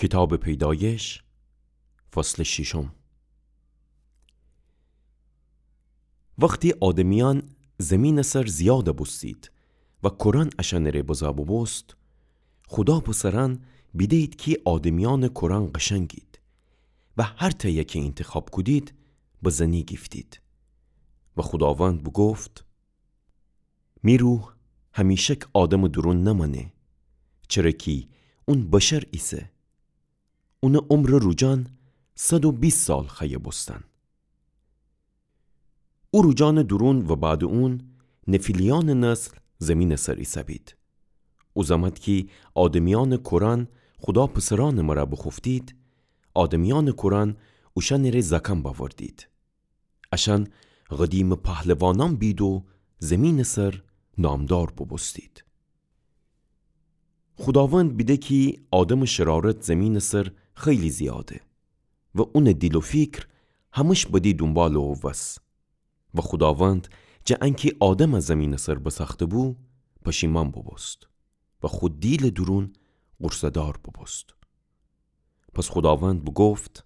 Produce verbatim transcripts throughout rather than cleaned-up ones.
کیتابٚ پیدایش، فصلٚ ششم. وختی آدمیأن زمینٚ سر زیادَ بوستید و کورأن اشأنٚ ره بزا بوبوست، خودا پسرأن بیده‌یید کی آدمیأنٚ کورأن قشنگید و هر تأیی کی اینتخاب کودید، به زنی گیفتید. و خوداوند بوگفت: می روح همیشک آدمٚ دورون نمأنه، چره کی اون بشر ایسه. اونٚ عمرٚ روجأن صد و بیست سال خوأیه بوستن. او روجأنٚ دورون و بعدٚ اون نفیلیأنٚ نسل زمینٚ سر ایسه‌بید. او زمأن کی آدمیأنٚ کورأن خودا پسرأنٚ مرأ بوخوفتید، آدمیأنٚ کورأن اوشأنٚ ره زأکأن بأوردید. اشأن قدیمٚ پهلوانأن بید و زمینٚ سر نامدار بوبوستید. خوداوند بیده کی آدمٚ شرارت زمینٚ سر خیلی زیاده و اونٚ دیل و فیکر همش بدی دونبالٚ وس. و خوداوند جٚه انکی آدمَ زمینٚ سر بسأخته‌بو، پشیمأن بوبوست و خو دیلٚ دورون غورصه‌دار بوبوست. پس خوداوند بوگفت: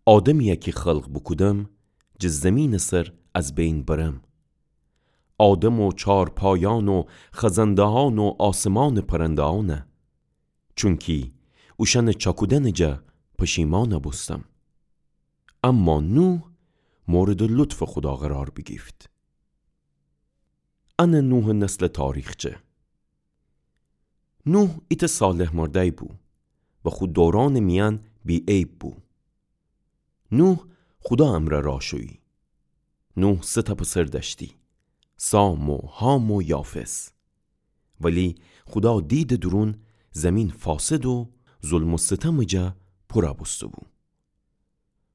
آدمیی کی خلق بوکودم، جٚه زمینٚ سر از بین برم. آدم و چارپایأن و خزنده‌یأن و آسمانٚ پرنده‌یأنَ. چونکی اوشأنٚ چأکودنٚ جا پشیمأن بوستم. اما نوح موردٚ لطفٚ خودا قرار بیگیفت. انه نوحٚ نسلٚ تاریخچه. نوح ایتأ صالح مردأی بو و خو دورأنٚ میأن بی‌عیب بو. نوح خودا امرأ راه شویی. نوح سه تأ پسر دأشتی، سام و حام و یافث. ولی خودا دیدٚ دورون زمین فاسد و ظلم و ستمٚ جا پورَ بوسته‌بو.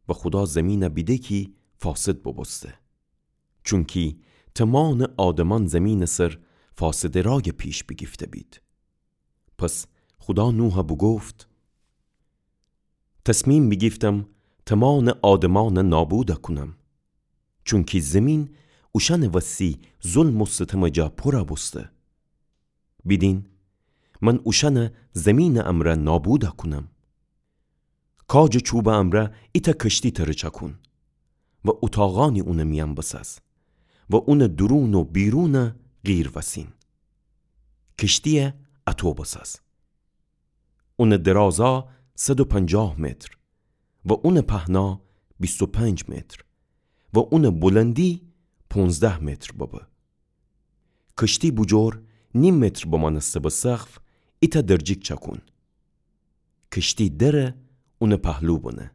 و خودا زمینَ بیده کی فاسد بوبوسته. چونکی تمامٚ آدمأن زمینٚ سر فاسدٚ رأی پیش بیگیفته‌بید. پس خودا نوحَ بوگفت: تصمیم بیگیفتم تمامٚ آدمأنَ نابودَ کونم. چونکی زمین اوشأنٚ وسی ظلم و ستمٚ جا پورَ بوسته. بیدین، من اوشأنَ زمینٚ امرأ نابودَ کونم. کاجٚ چوبٚ امرأ ایتأ کشتی تره چأکون و اوتاقأنی اونٚ میأن بساز و اونٚ دورون و بیرونَ قیر وسین. کشتیَ اَطو بساز. اونٚ درازا صد و پنجاه متر و اونٚ پهنا بیست و پنج متر و اونٚ بلندی پونزده متر ببه. کشتی بوجور نیم متر بمأنسته به سقف ایتأ درجیک چأکون. کشتی دره اونٚ پهلو بنه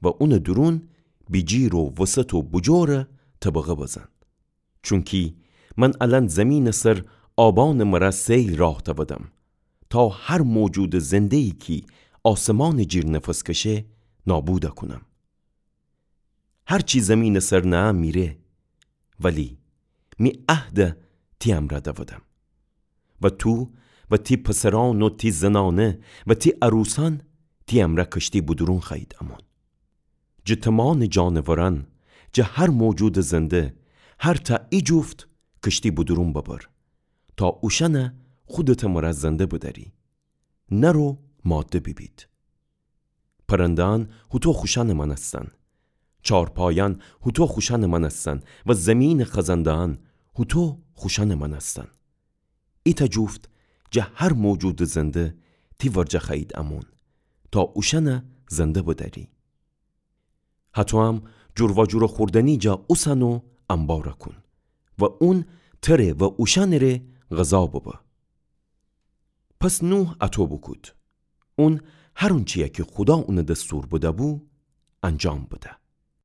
و اونٚ دورون بیجیر و وسط و بوجورَ طبقه بزن. چونکی من الأن زمینٚ سر آبأنٚ مرأ سیل راه تأودم، تا هر موجودٚ زنده‌یی کی آسمانٚ جیر نفس کشه، نابودَ کونم. هر چی زمینٚ سر نأه میره، ولی می عهدَ تی امرأ دأودم. و تو و تی پسرأن و تی زنأنه و تی عروسأن تی امرأ کشتی بودورون خوأیید أمون. جٚه تمامٚ جانورأن، جٚه هر موجودٚ زنده، هر تأ ایجفت کشتی بودورون ببر، تا اوشأنَ خودتٚ مرأ زنده بدأری، نر و ماده بیبید. پرنده‌أن هوطو خوشأنٚ مأنستن، چارپایأن هوطو خوشأنٚ مأنستن و زمینٚ خزنده‌أن هوطو خوشأنٚ مأنستن. ایتأ جفت جٚه هر موجودٚ زنده تی ورجه خوأیید أمون، تا اوشأنَ زنده بدأری. هطوام جور و جورٚ خوردنی جا اوسن و انبارَ کون و اون تره و اوشأنٚ ره غذا ببه. پس نوح اطو بوکود. اون هر اونچیی کی خودا اونَ دستور بده‌بو، انجام بده.